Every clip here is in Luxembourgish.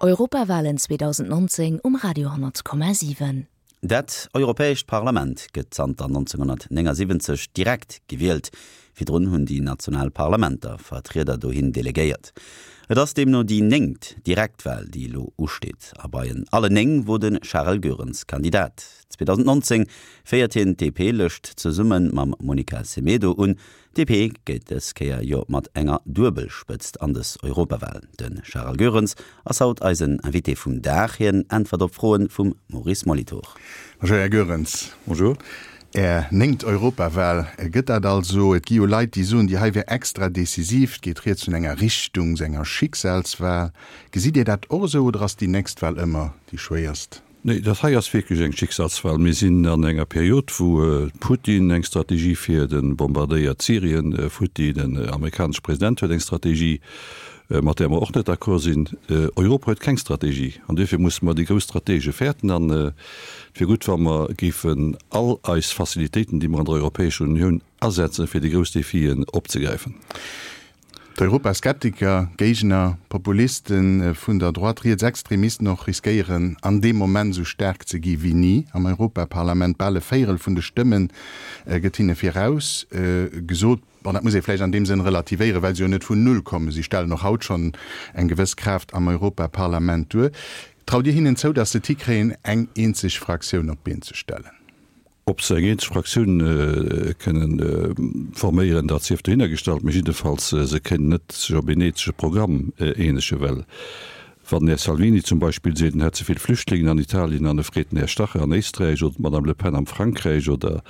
Europawalen 2019 um Radio 10,7. Dat Europäescht Parlament gëtt zanter 1979 direkt gewielt. Virdrun hunn déi national Parlamenter Vertrieder dohin delegéiert. Et ass deemno déi néngt Direktwal, déi elo usteet. A bei en allen 9 wor de Charel Goerens Kandidat. 2019 féiert hien d'DP-Lëscht zesumme mam Monica Semedo un. DP geet dës Kéier jo mat enger Duebelspëtzt an dës Europawal. De Charel Goerens ass haut eisen Invité vum Dag. Hien äntwert op Froen vum Maurice Molitor. Bonjour Här Goerens. Bonjour. Är néngt Europawal gëtt dat also. Et gi jo Leit, déi soen, déi hei wär extra decisiv. Et geet rieds vun enger Richtungs-, enger Schicksalswal. Gesitt Dir dat och esou oder ass déi nächst Wal ëmmer déi schwéierst? Nee, dat hei ass wierklech eng Schicksalswahl. Mir sinn an enger Period, wou Putin eng Strategie fiert, e bombardéiert Syrien futti, den amerikanesche President huet eng Strategie, mat där mer och net d'accord sinn. Europa huet keng Strategie an duerfir musse mer déi grouss Stratege fäerten. An et wier gutt, wa mer géifen all eis Facilitéiten, déi mer an der Europäescher Unioun asetzen, fir déi grouss Defien opzegräifen. D'Europaskeptiker, Géigner, Populiste vun der Droite, Rietsextremisten och, riskéieren an deem Moment esou staark ze gi wéi ni am Europaparlament. Bal e Véierel vun de Stëmme gëtt hinne viraus gesot. Bon, dat muss ee vläicht an deem Sënn relativéieren, well se jo net vun Null kommen. Si stellen och haut schonn eng gewëss Kraaft am Europaparlament duer. Traut Dir hinnen zou, datt se et hikréien, eng eenzeg Fraktioun op d'Been ze stellen? Ob se eng eenzeg Fraktioun kënnen forméieren, dat sief dohinner gestallt, mee jiddefalls, se kënnen net sech op een eenzege Programm eenegen, well wann den Här Salvini zum Beispill seet, en hätt ze vill Flüchtlingen an Italien an e freet den Här Strache an Éisträich oder d'Madame Le Pen am Frankräich oder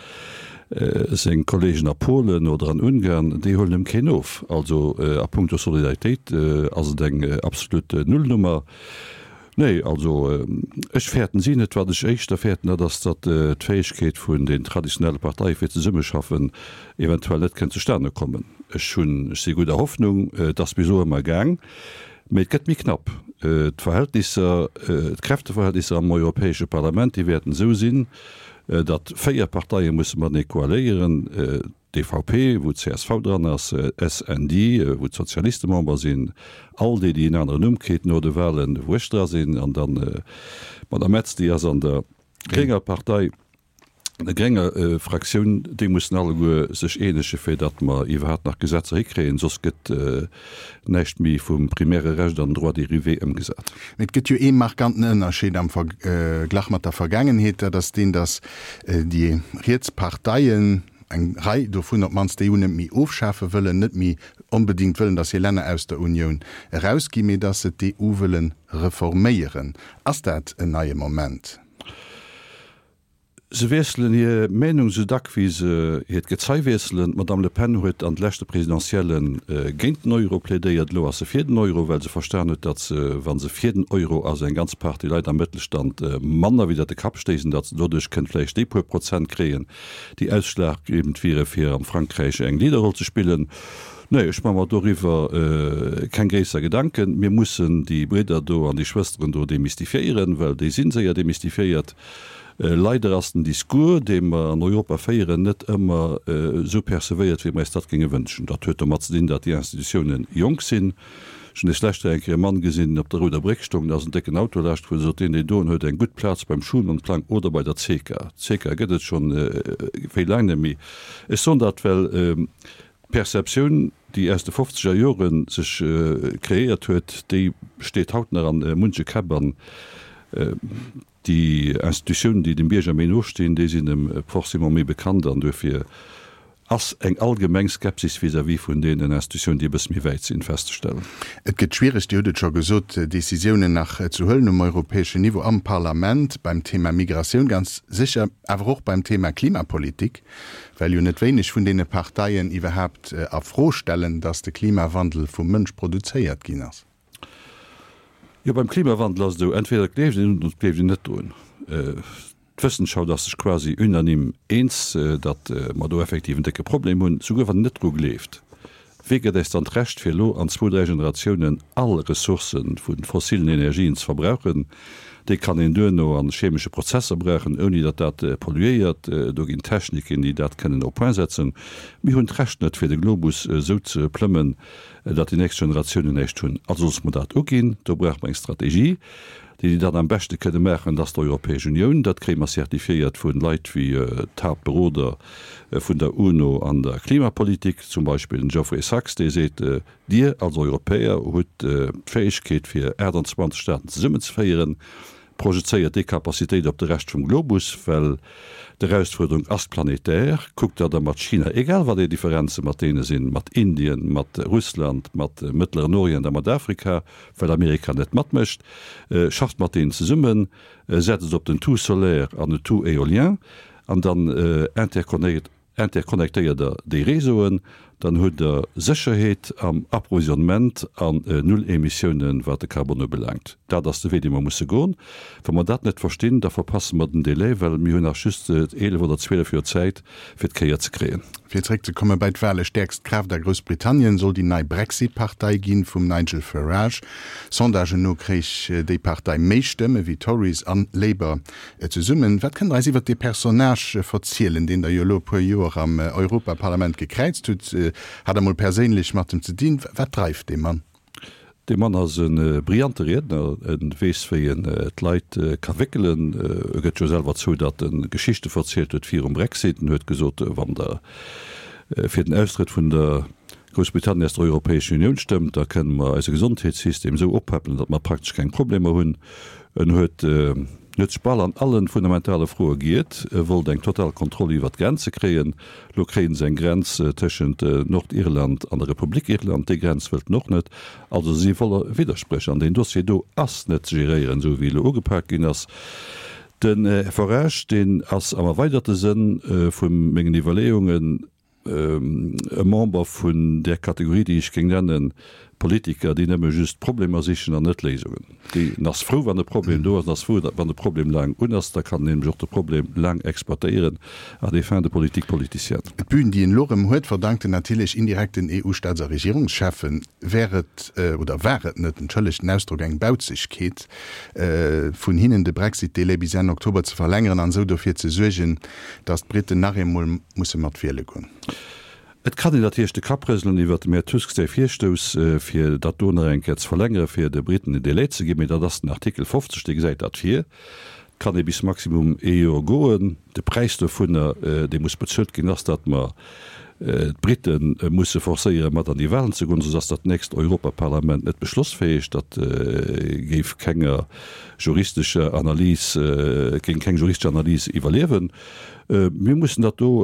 seng Kollegen a Polen oder an Ungarn, déi huelen em keen of. Also a puncto Solidaritéit ass et eng absolut Nullnummer. Nee, also ech fäerten si net. Wat ech éischter fäerten, dat ass, datt d'Fäegkeet vun den traditionelle Parteie fir zesummeschaffen eventuell net kënnt zustane kommen. Ech hunn, ech si gudder Hoffnung, et ass bis elo ëmmer gaang, mee et gëtt méi knapp. D'Verhältnisser, d'Kräfteverhältnisser am Europäesche Parlament, déi wäerten esou sinn, datt 4 Parteie musse matenee koaléieren. DVP, wou csv dran ass, SND, wou d'Sozialiste Member sinn, ALDE, déi en aneren Numm kritt no de Wahlen, wou ech dra sinn, an dann d'Madame Metz, déi ass an der grénger Partei, der grénger Fraktioun. Déi mussen alleguer sech eenege fir datt mer iwwerhaapt nach Gesetzer hikréien, soss gëtt näischt méi vum primäre Recht an Droit dérivé ëmgesat. Mee et gëtt jo ee markanten Ënnerscheed am Verglach mat der Vergaangenheet, dat ass deen, datt déi riets Parteien, eng Rei dovun op d'mannst, d'EU net méi ofschafe wëllen, net méi onbedéngt wëllen, datt hir Länner aus der Unioun erausginn, mee datt se d'EU wëlle reforméieren. Ass dat en neie Moment? Se wiesselen hir Meenung esou dack wéi se hiert Gezei wiesselen. D'Madame Le Pen huet an de leschte Presidentielle géint den Euro plädéiert. Elo ass se fir den Euro, well se verstan huet, datt se, wa se fir den Euro ass, eng ganz Partie Leit am Mëttelstand manner widder de Kapp stéissen, datt se doduerch kënnt vläicht déi puer Prozent kréien, déi ausschlaggebend wiere fir am Frankräich eng Leaderroll ze spillen. Nee, ech maache mer doriwwer keng gréisser Gedanken. Mir mussen déi Bridder do an déi Schwësteren do demystifiéieren, well déi si séier demystifiéiert. Leider ass den Discours, dee mer an Europa féieren, net ëmmer esou percevéiert, wéi mer eis dat géinge wënschen. Dat huet domat ze dinn, datt déi Institutiounen jonk sinn. Ech hunn des lescht eng Kéier e Mann gesinn, deen op der Rouder Bréck stoung, da ass en décken Auto laascht gefuer, sot deen, deen doen huet eng gutt Plaz beim Schuman-Plang oder bei der CECA. D'CECA gëtt et schonn wéi laang net méi. Ech soen dat, well d'Perceptioun, déi aus de fofzeger Jore sech kreéiert huet, déi steet haut nach an munche Käpp an Déi Institutiounen, déi dem Bierger méi no stinn, déi sinn em forcément méi bekannt an duerfir ass eng allgemeng Skepsis vis-à-vis vun deenen Institutiounen, déi e bësse méi wäit sinn, festzestellen. Et gëtt schwiereg, Dir hutt et scho gesot, Décisiounen nach ze huelen um europäeschen Niveau, am Parlament, beim Thema Migratioun ganz sécher, awer och beim Thema Klimapolitik, well jo net wéineg vun deene Parteien iwwerhaapt a Fro stellen, datt de Klimawandel vum Mënsch produzéiert ginn ass. Jo, beim Klimawandel ass et esou, entweder et gleeft een drun oder et gleeft een net drun. D'Wëssenschaft ass sech quasi unanime eens, datt mer do effektiv en décke Problem hunn, souguer wann een net dru gleeft. Wee gëtt äis dann d'Recht, fir elo an zwou, dräi Generatiounen all Ressourcë vu fossilen Energien ze verbrauchen? Dee kann een duerno a chemesche Prozesser brauchen, ouni datt dat polluéiert. Do ginn Techniken, déi dat kënnen au point setzen. Mir hunn d'Recht net, fir de Globus esou ze plëmmen, datt déi nächst Generatiounen näischt hunn. Also loosse mer dat uginn. Do brauche mer eng Strategie. Déi, déi dat am beschte kënne maachen, dat ass d'Europäesch Unioun. Dat kréie mer certifiéiert vu Leit wéi d'Haaptberoder vun der UNO an der Klimapolitik, zum Beispill den Geoffrey Sachs, dee seet, Dir als Europäer hutt d'Fäegkeet fir 28 Staaten zesummenzeféieren. Projezéiert déi Capacitéit op de Rescht vum Globus, well d'Erausfuerderung ass planetär. Kuckt, datt Der mat China, egal wat Är Differenze mat deene sinn, mat Indien, mat Russland, mat Mëttleren Orient a mat Afrika, well Amerika net matmécht, schafft mat deenen zesummen, setzt op den Tout solaire an den Tout éolien an dann interconnectéiert Der déi Réseauen, dann hutt Der Sécherheet am Approvisionnement an null Emissiounen, wat de Carbon ubelaangt. Dat ass de Wee, dee mer musse goen. Wa mer dat net verstinn, da verpasse mer den Délai, well mir hunn nach just 11 oder 12 Joer Zäit, fir d'Kéier ze kréien. Fir zeréck ze komme bei d'Wale, Stäerkst Kraaft a Groussbritannien soll déi nei Brexit-Partei ginn, vum Nigel Farage. Sondagen no kréich déi Partei méi Stëmme wéi Tories an Labour zesummen. Wat kënnt der eis iwwert dee Personnage verzielen, deen der jo elo e puer Joer am Europaparlament gekräizt hutt? Hat der mol perséinlech mat em ze dinn? Wat dreift dee Mann? Dee Mann ass e brillante Riedner, e weess wéi en d'Leit ka wéckelen. E gëtt jo selwer zou, datt e Geschichte verzielt huet virum Brexit. En huet gesot, wann Der fir den Austrëtt vun der Groussbritannien aus der Europäescher Unioun stëmmt, da kënne mer eise Gesondheetssystem esou oppäppelen, datt mer praktesch keng Problemer hunn. En huet huet sech bal an alle fundamentale Froe giert. E wollt eng total Kontroll iwwert d'Grenze kréien. Lo kréien se eng Grenz tëschent Nordirland an der Republik Irland. Déi Grenz wëllt en och net. Also se si voller Widderspréch. An deen Dossier do ass net ze geréieren, esou wéi e lo ugepak ginn ass. Den Här Farage, deen ass am erweiderte Sënn vu mengen Iwwerleeungen, e Member vun där Kategorie, déi ech géing nennen, Politiker, déi nëmme just Problemer sichen an net Léisungen. Deen ass frou, wann e Problem do ass, an ass frou, wann de Problem laang un ass. Da kann en nämlech och de Problem laang exploitéieren à des fins de politique politicienne. D'Bün, déi en elo erëm huet, verdankt en natierlech indirekt den EU-Staats a Regierungscheffen. Wär et, oder war et net, entschëllegt den Ausdrock, eng Bauzegkeet vun hinnen, de Brexit-Delai bis Enn Oktober ze verlängeren an esou dofir ze suergen, datt d'Briten nach eemol musse mat wiele goen. Et kann een natierlech de Kapp rëselen iwwert dem Här Tusk säi Virstouss, fir dat do nach eng Kéier ze verlängeren, fir de Briten en Délai ze ginn, mee dat ass den Artikel 50, dee gesäit dat vir. Et kann ee bis maximum ee Joer goen. De Präis dovunner, dee muss bezuelt ginn, ass, datt mer d'Brite musse forcéieren, mat an déi Wahlen ze goen, soss ass dat nächst Europaparlament net beschlossfäeg. Dat géif kenger juristescher Analys, géing keng juristesch Analys iwwerliewen. Mir mussen dat do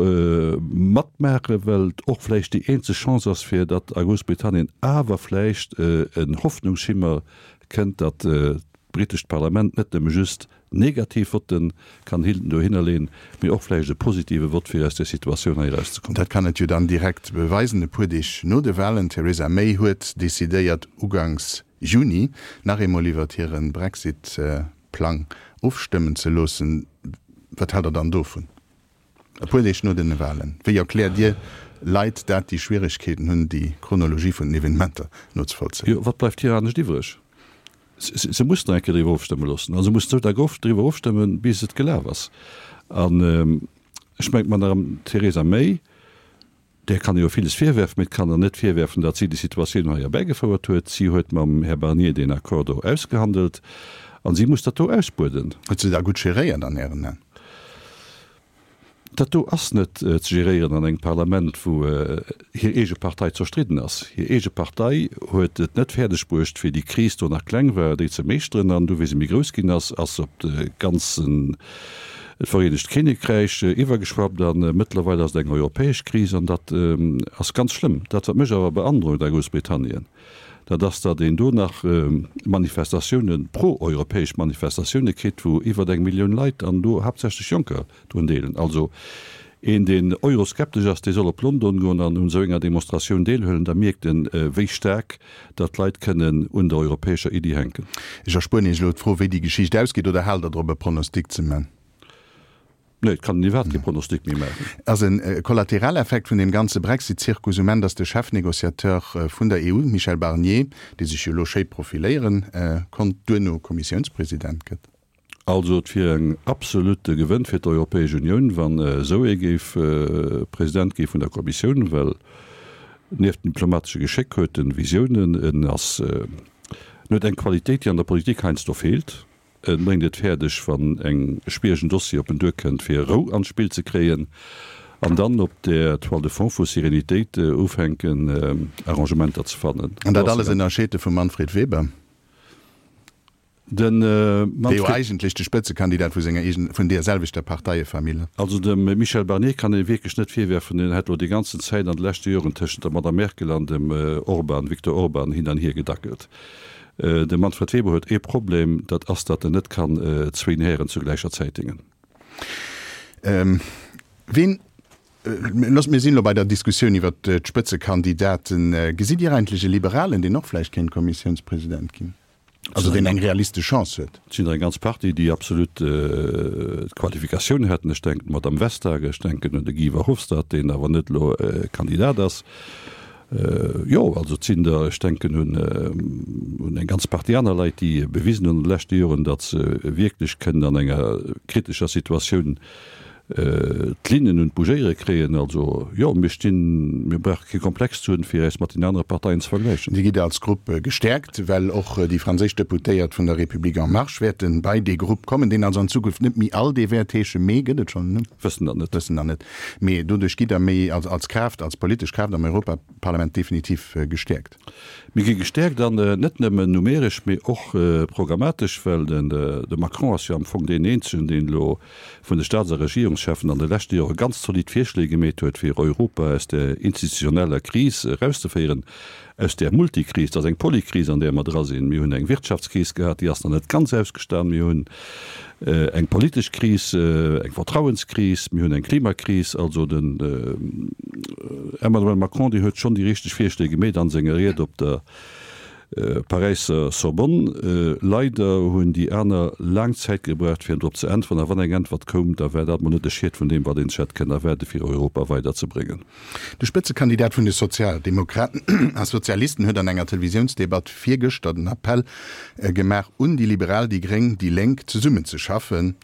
matmaachen, well et och vläicht déi eenzeg Chance ass, fir datt a Groussbritannien awer vläicht en Hoffnungsschimmer kënnt, datt d'britescht Parlament net nëmme just negativ Votte kann dohinner leeën, mee och vläicht e positive Vott, fir aus där Situatioun hei erauszekommen. Dat kann et jo dann direkt beweisen, e puer Deeg no de Wahlen. D'Theresa May huet decidéiert, uganks Juni nach eemol iwwert hire Brexit-Plang ofstëmmen ze loossen. Wat haalt Der dann dovun? E puer Deeg no den Wahlen. Wéi erkläert Dir Leit dat, déi Schwieregkeeten hunn, déi Chronologie vun den Evenementer nozevollzéien? Jo, wat bleift hir anescht iwwreg? Se mussen nach eng Kéier driwwer ofstëmme loossen. A se mussen esou dack oft driwwer ofstëmmen, bis et gelaf ass. An ech mengen, d'Madame Theresa May, Där kann ee jo villes virwerfen, mee et kann der net virwerfen, datt si déi Situatioun hei erbäigefouert huet. Si huet mam Här Barnier deen Accord do ausgehandelt a si muss dat do ausbueden. Huet se da gutt geréiert an Ären Aen? Dat do ass net ze geréieren an engem Parlament, wou hir eege Partei zerstridden ass. Hir eege Partei huet et net fäerdeg bruecht, wéi déi Kris do nach kleng war, déi ze meeschteren. An du wéi se méi grouss ginn ass, ass se op de ganzen d'Vereenegt Kinnekräich iwwergeschwappt a mëttlerweil ass et eng europäesch Kris an dat ass ganz schlëmm. Dat wat mech awer beandrockt a Groussbritannien, dat ass, datt een do nach Manifestatiounen, pro-europäesch Manifestatioune kritt, wou iwwert eng Millioun Leit an do haaptsächlech Jonker drun deelen. Also een deen euroskeptesch ass, dee soll op London goen an un esou enger Demonstratioun deelhuelen, da mierkt en, wéi staark datt d'Leit kënnen un der europäescher Iddi hänken. Ech erspueren Iech elo d'Fro, wéi déi Geschicht ausgeet, oder haalt Der drop, e Pronostic ze man? Nee, et kann een iwwerhaapt kee Pronostic méi maachen. Ass e Kollateraleffekt vun deem ganze Brexit-Zirkus um Enn, datt de Chefnegociateur vun der EU, Michel Barnier, dee sech jo elo schéi profiléiere konnt, duerno Kommissiounspresident gëtt? Also et wier en absolute Gewënn fir d'Europäesch Unioun, wann esou ee géif President gi vun der Kommissioun, well nieft dem diplomatesche Geschéck huet en Visiounen, en ass, en huet eng Qualitéit, déi an der Politik heiansdo feelt. En bréngt et fäerdeg, wann eng schwieregen Dossier op en duerkënnt, fir Rou an d'Spill ze kréien an dann op der Toile de fond vu Sérénitéit ufänken Arrangementer ze fannen. An dat alles ënnerscheet e vum Manfred Weber. De Dee jo eigentlech de Spëtzekandidat vu senger eegen, vun deer selwechter Parteiefamill ass. Also dem Michel Barnier kann ee wierklech net virwerfen, en hätt elo déi ganzen Zäit an de leschte Joren tëschent der Madame Merkel an dem Orban, Viktor Orban, hin an hier gedackelt. De Manfred Weber huet ee Problem, dat ass, datt en net kann zwéin Hären zu gläicher Zäit déngen. Ween, looss, mir sinn elo bei der Diskussioun iwwert d'Spëtzekandidaten. Gesitt Dir eigentlech e Liberalen, deen och vläicht kéint Kommissiounspresident ginn? Also deen eng realistesch Chance huet. Et sinn der eng ganz Partie, déi absolut d'Qualifikatioun hätten. Ech denken un d'Madame Vestager, ech denken un de Guy Verhofstadt, deen awer net elo Kandidat ass. Jo, also et sinn der, ech denken un un eng ganz Partie aner Leit, déi bewisen hunn an de leschte Joren, datt se wierklech kënnen an enger kritescher Situatioun d'Linnen un d'Bougéiere kréien. Also, jo, mir stinn, mir brauche kee Komplex ze hunn, fir äis mat den anere Parteien ze vergläichen. Dir gitt als Grupp gestäerkt, well och déi franséisch Deputéiert vun der République en marche wäerte bei dee Grupp kommen, deen also an Zukunft net méi ALDE wäert heeschen, mee gëtt et schonn en Numm? Wëssen dat net. Wëssen dat net. Mee doduerch gitt Der méi als Kraaft, als politesch Kraaft am Europaparlament definitiv gestäerkt. Mir gi gestäerkt an net nëmmen numeresch, mee och programmatesch, well de Macron ass jo am Fong deen eenzegen, deen elo vun de Staats a Regierungscheffen an de leschte Jore ganz zolidd Virschléi gemeet huet, fir Europa aus der institutioneller Kris erauszeféieren, aus där Multikris. Dat ass eng Polykris, an där mer dra sinn. Mir hunn eng Wirtschaftskris gehat, déi ass nach net ganz ausgestan. Mir hunn eng politesch Kris, eng Vertrauenskris, mir hunn eng Klimakris. Also den Emmanuel Macron, deen huet schonn déi richteg Virschléi gemeet a senger Ried op der Paräisser Sorbonne. Leider hunn déi aner laang Zäit gebraucht, fir drop ze äntweren. A wann eng Äntwert koum, da war dat mol net de Schiet vun deem, wat een sech hätt kënnen erwaarde fir Europa weiderzebréngen. De Spëtzekandidat vun de Sozialdemokraten a Sozialisten huet an enger Televisiounsdebatt virgëschter den Appell gemaach un déi Liberal, déi Gréng, déi Lénk zesummen ze schaffen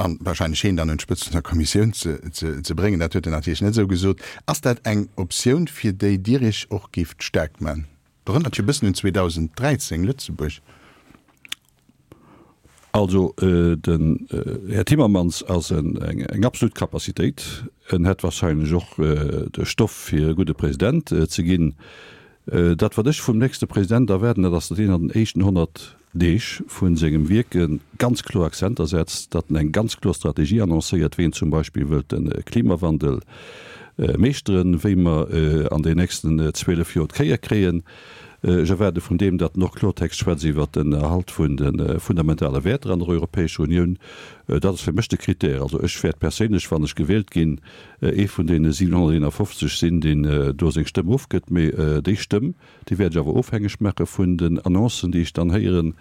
a warscheinlech heen dann un d'Spëtzt vun der Kommissioun ze bréngen. Dat huet en natierlech net esou gesot. Ass dat eng Optioun, fir déi Dir Iech och géift staark man? Erënnert jo e bëssen un 2013 Lëtzebuerg. Also den Här Timmermans ass eng absolut Capacitéit. En hätt wahrscheinlech och de Stoff fir e gudde President ze ginn. Dat wat ech vum nächste President erwaarden, dat ass, datt hien an den éischten 100 Deeg vu sengem Wierke ganz kloer Akzenter setzt, datt en eng ganz kloer Strategie annoncéiert, wéi en zum Beispill wëllt de Klimawandel meeschteren, wéi mer an den nächsten 12 Joer d'Kéier kréien. Ech erwaarde vun deem, datt en och Klortext schwätzt iwwert den Erhalt vun de fundamentale Wäerter an der Europäescher Unioun. Dat ass fir mech de Critère. Also ech wäert perséinlech, wann ech gewielt ginn, ee vun deene 751 sinn, deen do seng Stëmm ofgëtt. Mee déi Stëmm, déi wäert ech awer ofhängeg maache vun den Annoncen, déi ech dann héieren,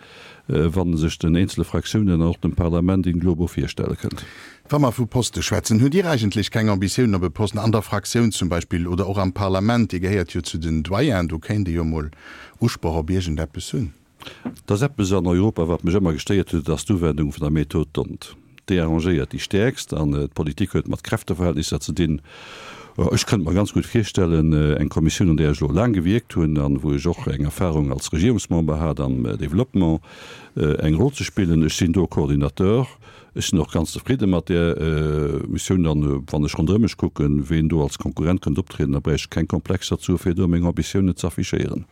wa sech den eenzele Fraktiounen an och dem Parlament in globo virstelle kënnt. Wa mer vu Poste schwätzen, hutt Dir eigentlech keng Ambitiounen op e Posten an der Fraktioun zum Beispill oder och am Parlament? Dir gehéiert jo zu den Doyens, do kéint ee jo mol Usproch op iergendeppes hunn. Et ass eppes an Europa, wat mech ëmmer gestéiert huet, et ass d'Uwendung vun der Method d'Hondt. Déi arrangéiert déi Stäerkst an d'Politik huet mat Kräfteverhältnisser ze dinn. Ech kënnt mer ganz gutt virstellen, eng Kommissioun, an där ech elo laang gewierkt hunn an wou ech och eng Erfahrung als Regierungsmember hat am Développement, eng Roll ze spillen. Ech sinn do Coordinateur. Ech sinn och ganz zefridde mat där Missioun. An wann ech ronderëm mech kucken, ween do als Konkurrent kënnt optrieden, da bräicht ech keng Komplexer ze hu fir do meng Ambitiounen ze affichéieren.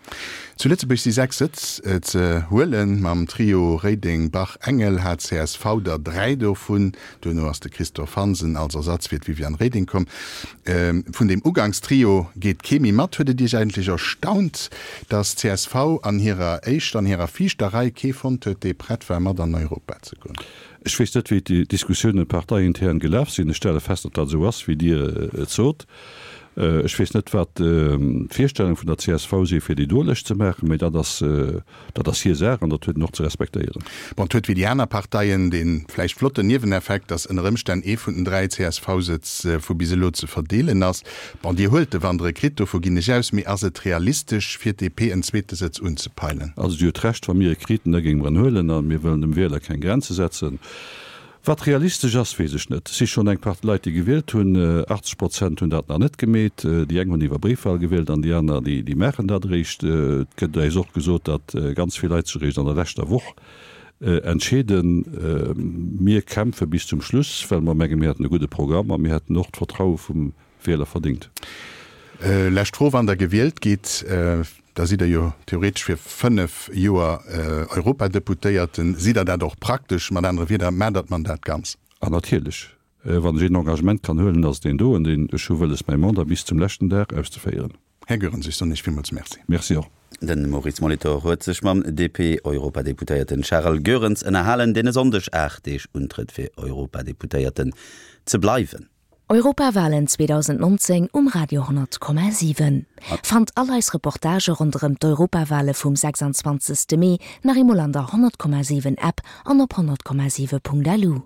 Zu Lëtzebuerg si 6 Sëtz ze huelen. Mam Trio Reding, Bach, Engel hat csv der 3 dovun. Duerno ass de Christophe Hansen als Ersatz fir d'Viviane Reding komm. Vun deem Ugangstrio geet kee méi mat. Huet et Iech eigentlech erstaunt, datt csv an hirer éischter, an hirer viischter Rei kee fonnt huet, dee prett war mat an Europa ze goen? Ech weess net, wéi d'Diskussiounen parteiintern gelaf sinn. Ech stelle fest, datt dat esou ass, wéi Dir et sot. Ech weess net, wat d'Virstellung vun der csv si fir déi do Lëscht ze maachen, mä dat ass, dat ass hir Saach an dat huet een och ze respektéieren. Bon, et huet wéi déi aner Parteien dee vläicht flotten Nieweneffekt, datt ënner Ëmstänn ee vun den 3 CSV-Sëtz vu bis elo ze verdeelen ass. Bon, Dir huelt e, wann Der e kritt, dovu ginn ech aus. Mee ass et realistesch fir d'DP en zweete Sëtz unzepeilen? Also Dir hutt Recht, wa mir e kriten, da géinge mer en huelen a mir wëllen dem Wieler keng Grenze setzen. Wat realistesch ass, weess ech net. Et si schonn eng Partie Leit, déi gewielt hunn. 80 Prozent hunn dat nach net gemeet. Déi eng hunn iwwer Bréifwal gewielt an déi aner, déi maachen dat eréischt. Et gëtt eis och gesot, datt ganz vill Leit sech eréischt an der leschter Woch entscheeden. Mir kämpfe bis zum Schluss, well mer mengen, mir hätten e gudde Programm a mir hätten och d'Vertraue vum Wieler verdingt. Lescht Fro, Wann Der gewielt gitt, da sidd Der jo theoretesch fir 5 Joer Europadeputéierten. Sidd Der dat och praktesch? Mat anere Wieder, maacht Der d'Mandat ganz? A natierlech. Wann ech een Engagement kann huelen, ass et deen doen, deen ech hu wëlles, mäi Mandat bis zum leschten Dag auszeféieren. Här Goerens, ech soen Iech villmools Merci. Merci och. De Maurice Molitor huet sech mam DP-Europadeputéierten Charel Goerens ënnerhalen, deen e Sonndeg 8 Deeg untrëtt fir Europadeputéierten ze bleiwen. Europawalen 2019 um Radio 10,7. Fannt all eis Reportagë ronderëm d'Europawale vum 26. Mee nach eemol an der 100,7 App an op 100,7.lu.